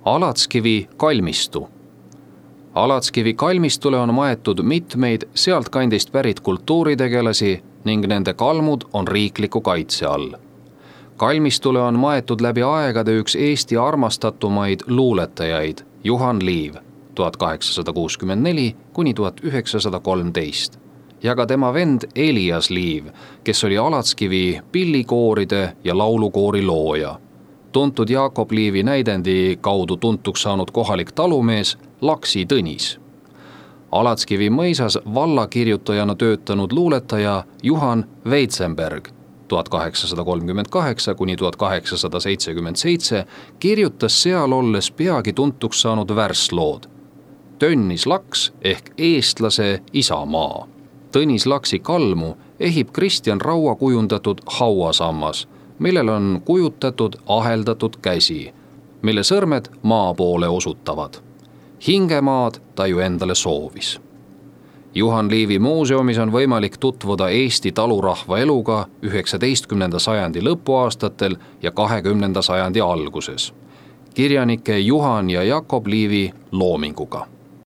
Alatskivi kalmistu. Alatskivi kalmistule on maetud mitmeid sealtkandist pärit kultuuritegelasi ning nende kalmud on riikliku kaitse all. Kalmistule on maetud läbi aegade üks Eesti armastatumaid luuletajaid Juhan Liiv 1864–1913 ja ka tema vend Elias Liiv, kes oli Alatskivi pillikooride ja laulukoori looja. Tuntud Jakob Liivi näidendi kaudu tuntuks saanud kohalik talumees Laksi Tõnis. Alatskivi mõisas vallakirjutajana töötanud luuletaja Juhan Veitsenberg 1838–1877 kirjutas seal olles peagi tuntuks saanud värslood Tõnis Laks ehk eestlase isamaa. Tõnis Laksi kalmu ehib Kristjan Raua kujundatud hauasammas, millel on kujutatud aheldatud käsi, mille sõrmed maa poole osutavad. Hingemaad ta ju endale soovis. Juhan Liivi muuseumis on võimalik tutvuda Eesti talurahva eluga 19. sajandi lõpuaastatel ja 20. sajandi alguses. Kirjanike Juhan ja Jakob Liivi loominguga.